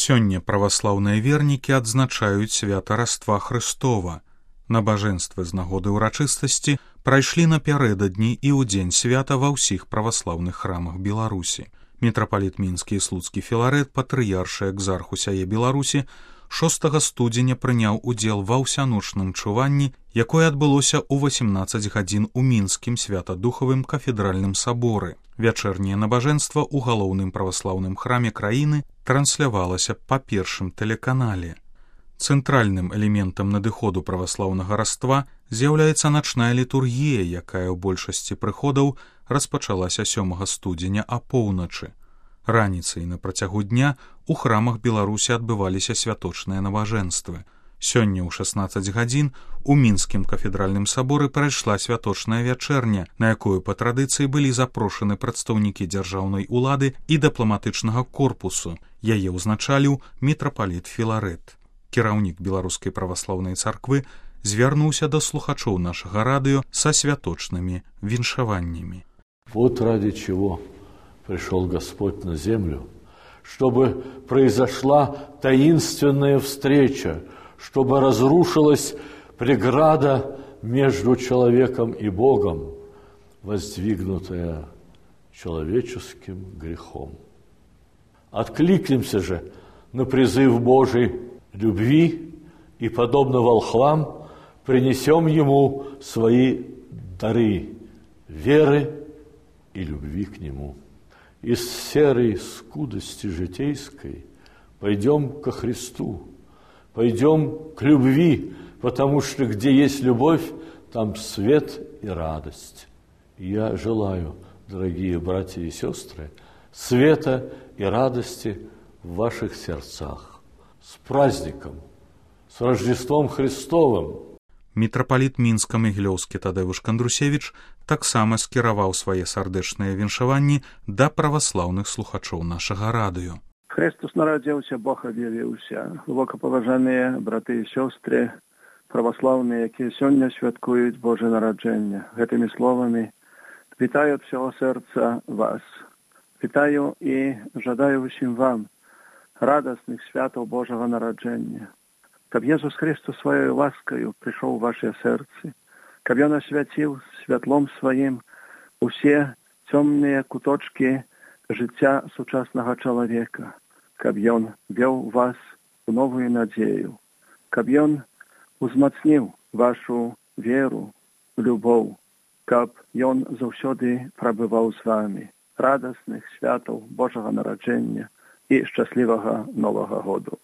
Сёння праваслаўныя вернікі адзначаюць свята Раства Хрыстова. Набажэнствы з нагоды ўрачыстасці прайшлі напярэдадні і ў дзень свята ва ўсіх праваслаўных храмах Беларусі. Мітрапаліт мінскі і слуцкі Філарэт, патрыяршы экзарх усяе Беларусі, 6 студзеня прыняў удзел ва ўсяночным чуванні, якое адбылося ў 18 гадзін у мінскім святадухавым кафедральным саборы. Вячэрняе набажэнства ў галоўным праваслаўным храме краіны транслявалася па першым тэлеканале. Цэнтральным элементам надыходу праваслаўнага раства з'яўляецца начная літургія, якая ў большасці прыходаў распачалася 7 студзеня апоўначы. Раніцай на працягу дня у храмах Беларусі адбываліся святочныя набажэнствы. Сёння ў 16 гадзін у мінскім кафедральным саборы прайшла святочная вячэрня, на якую па традыцыі былі запрошаны прадстаўнікі дзяржаўнай улады і дыпламатычнага корпусу. Яе ўзначаліў мітрапаліт Філарэт. Кіраўнік беларускай праваслаўнай царквы звярнуўся да слухачоў нашага радыё са святочнымі віншаваннямі. Вот ради чего пришел Господь на землю, чтобы произошла таинственная встреча, чтобы разрушилась преграда между человеком и Богом, воздвигнутая человеческим грехом. Откликнемся же на призыв Божий любви и, подобно волхвам, принесем Ему свои дары веры и любви к Нему. Из серой скудости житейской пойдем ко Христу, пойдем к любви, потому что где есть любовь, там свет и радость. Я желаю, дорогие братья и сестры, света и радости в ваших сердцах. С праздником, с Рождеством Христовым! Мітрапаліт мінска-магілёўскі Тадэвуш Кандрусевіч таксама скіраваў свае сардэчныя віншаванні да праваслаўных слухачоў нашага радыё. Христос нарадзіўся, Бог аб'явіўся. Глыбокапаважаныя браты і сёстры, праваслаўныя, якія сёння святкуюць Божае нараджэнне. Гэтымі словамі вітаю ад всього сэрца вас. Вітаю і жадаю усім вам радасных святаў Божага нараджэння. Каб Езус Христос сваёй ласкаю прыйшоў у вашыя сэрцы, каб Ён асвяціў святлом сваім усе цёмныя куточкі жыцця сучаснага чалавека, каб Ён вёў вас у новую надзею, каб Ён узмацніў вашу веру, любоў, каб Ён заўсёды прабываў з вамі. Радасных святаў Божага нараджэння і шчаслівага Новага году.